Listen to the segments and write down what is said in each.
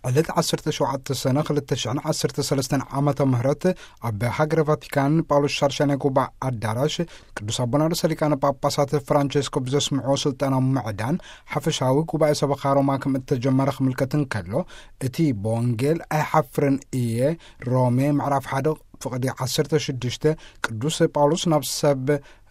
ዕለት ዓሰርተ ሸውዓተ ሰነ ክልተ ሽሕን ዓሰርተ ሰለስተን ዓመተ ምህረት ኣብ ሃገረ ቫቲካን ጳውሎስ ሻድሻይ ናይ ጉባኤ ኣዳራሽ ቅዱስ ኣቦና ርእሰ ሊቃነ ጳጳሳት ፍራንቸስኮ ብዘስምዕዎ ስልጠና ምዕዳን ሓፈሻዊ ጉባኤ ሰበኻ ሮማ ከም እተጀመረ ክምልከት እንከሎ፣ እቲ ብወንጌል ኣይሓፍርን እየ፣ ሮሜ ምዕራፍ ሓደ ፍቕዲ ዓሰርተ ሽዱሽተ፣ ቅዱስ ጳውሎስ ናብ ሰብ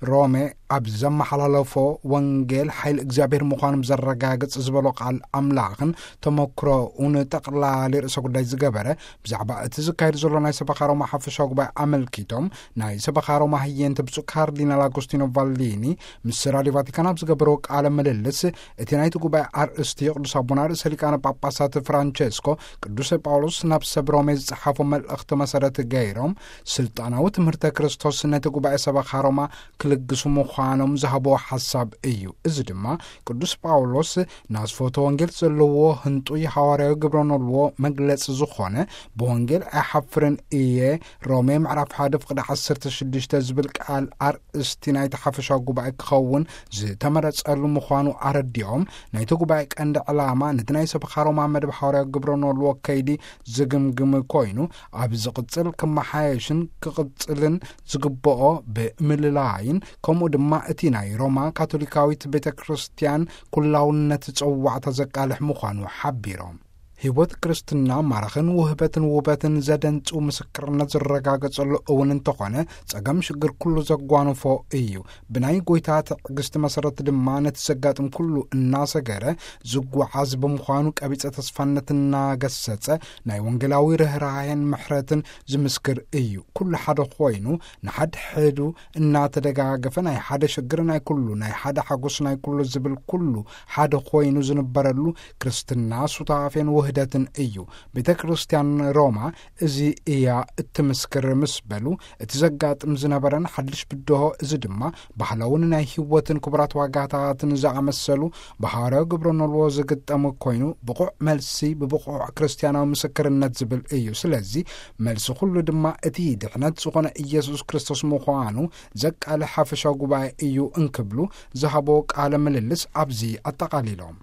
ሮሜ ኣብ ዘመሓላለፎ ወንጌል ሓይሊ እግዚኣብሔር ምዃኑ ዘረጋግጽ ዝበሎ ቃል ኣምላኽን ተመክሮኡን ጠቕላሊ ርእሰ ጉዳይ ዝገበረ፣ ብዛዕባ እቲ ዝካየድ ዘሎ ናይ ሰበኻ ሮማ ሓፈሻዊ ጉባኤ ኣመልኪቶም ናይ ሰበኻ ሮማ ህየንተ ብፁዕ ካርዲናል ኣጎስቲኖ ቫሊኒ ምስ ራድዮ ቫቲካን ኣብ ዝገበርዎ ቃለ ምልልስ፣ እቲ ናይቲ ጉባኤ ኣርእስቲ ቅዱስ ኣቦና ርእሰ ሊቃነ ጳጳሳት ፍራንቸስኮ ቅዱስ ጳውሎስ ናብ ሰብ ሮሜ ዝጸሓፎ መልእኽቲ መሰረት ገይሮም፣ ስልጣናዊ ትምህርተ ክርስቶስ ነቲ ጉባኤ ሰበኻ ሮማ ክልግሱ ምዃኖም ዝሃብዎ ሓሳብ እዩ። እዚ ድማ ቅዱስ ጳውሎስ ናስፎተ ወንጌል ዘለዎ ህንጡይ ሃዋርያዊ ግብረ ኖልዎ መግለጺ ዝኾነ፣ ብወንጌል ኣይሓፍርን እየ፣ ሮሜ ምዕራፍ ሓደ ፍቕዲ ዓሰርተ ሽዱሽተ ዝብል ቃል ኣርእስቲ ናይቲ ሓፈሻዊ ጉባኤ ክኸውን ዝተመረጸሉ ምዃኑ ኣረዲኦም፣ ናይቲ ጉባኤ ቀንዲ ዕላማ ነቲ ናይ ሰበኻ ሮማ መደብ ሃዋርያዊ ግብረ ኖልዎ ከይዲ ዝግምግም ኮይኑ፣ ኣብ ዝቕጽል ክመሓየሽን ክቕጽልን ዝግብኦ ብምልላይን፣ ከምኡ ድማ እቲ ናይ ሮማ ካቶሊካዊት ቤተ ክርስቲያን ኩላውነት ጸዋዕታ ዘቃልሕ ምዃኑ ሓቢሮም። ህይወት ክርስትና ማራኽን ውህበትን ውበትን ዘደንጹ ምስክርነት ዝረጋገጸሉ እውን እንተኾነ፣ ጸገም ሽግር ኩሉ ዘጓንፎ እዩ። ብናይ ጎይታ ትዕግስቲ መሰረት ድማ ነቲ ዘጋጥም ኩሉ እናሰገረ ዝጓዓዝ ብምዃኑ፣ ቀቢጸ ተስፋነት እናገሰጸ ናይ ወንጌላዊ ርህራሄን ምሕረትን ዝምስክር እዩ። ኩሉ ሓደ ኮይኑ ንሓድሕዱ እናተደጋገፈ፣ ናይ ሓደ ሽግር ናይ ኩሉ፣ ናይ ሓደ ሓጎስ ናይ ኩሉ ዝብል ኩሉ ሓደ ኮይኑ ዝንበረሉ ክርስትና ሱታፌን ውህደትን እዩ። ቤተ ክርስቲያን ሮማ እዚ እያ እትምስክር ምስ በሉ፣ እቲ ዘጋጥም ዝነበረን ሓድሽ ብድሆ፣ እዚ ድማ ባህላውን ናይ ህይወትን ክቡራት ዋጋታትን ዝኣመሰሉ ብሃዋርያዊ ግብረ ኖልዎ ዝግጠሙ ኮይኑ፣ ብቑዕ መልሲ ብብቑዕ ክርስቲያናዊ ምስክርነት ዝብል እዩ። ስለዚ መልሲ ኩሉ ድማ እቲ ድሕነት ዝኾነ ኢየሱስ ክርስቶስ ምዃኑ ዘቃልሕ ሓፈሻዊ ጉባኤ እዩ እንክብሉ ዝሃቦ ቃለ ምልልስ ኣብዚ ኣጠቓሊሎም።